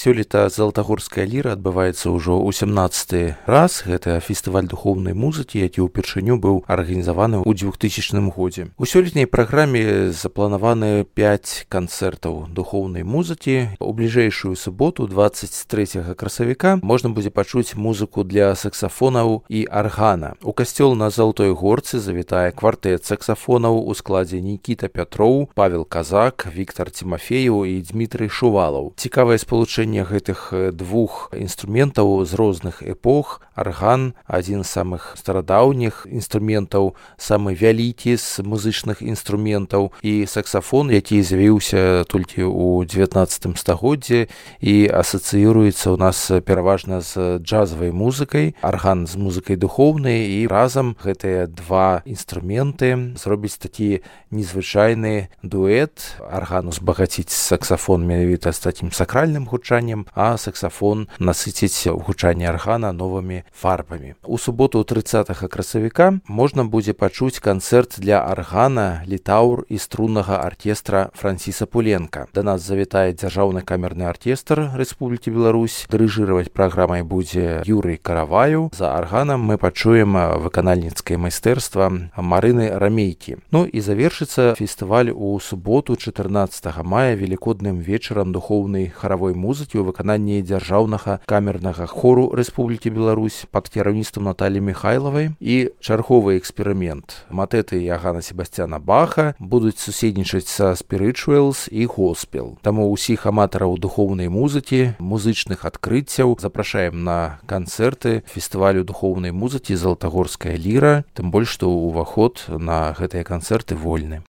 Сёлета Залатагорская ліра адбываецца ўжо ў 17 раз. Гэта фестываль духоўнай музыкі, які ўпершыню быў арганізаваны ў 2000 годзе. У сёлетняй праграме запланаваны 5 канцэртаў духоўнай музыкі. У бліжэйшую суботу, 23 красавіка, можна будзе пачуць музыку для саксафонаў і аргана. У касцёл на Залатой Горцы завітае квартэт саксафонаў у складзе Нікіта Пятроў, Павел Казак, Віктар Тимофеев і Дмітрый Шувалаў. Цікавае спалучэнне гэтых двух інструментаў з розных эпох. Арган — адзін з самых старадаўніх інструментаў, самы вялікі з музычных інструментаў, і саксафон, які з'явіўся толькі ў 19 стагоддзі і асацыюецца ў нас пераважна з джазавай музыкай, арган з музыкай духоўнай, і разам гэтыя два інструменты зробіць такі незвычайны дуэт. Арган узбагаціць саксафон менавіта з такім сакральным гучаннем, а саксафон насыціць гучанне аргана новымі фарбамі. У суботу 30 красавіка можна будзе пачуць канцэрт для аргана, літаўр і струннага аркестра Франціса Пуленка. Да нас завітае дзяржаўны камерны аркестр Рэспублікі Беларусь. Дырыжыраваць праграмай будзе Юрый Караваеў. За арганам мы пачуем выканальніцкае майстэрства Марыны Рамейкі. Ну і завершыцца фестываль у суботу 14 мая велікодным вечарам духоўнай харавой музыкі ў выкананні дзяржаўнага камернага хору Рэспублікі Беларусь пад кіраўніцтвам Наталі Михайлавай. І чарговы эксперымент. Матэты Яганна Себасцяна Баха будуць суседнічаць са спірычуэлс і госпел. Таму ўсіх аматараў духоўнай музыкі, музычных адкрыццяў запрашаем на канцэрты фестывалю духоўнай музыкі Залатагорская ліра, тым больш што ўваход на гэтыя канцэрты вольны.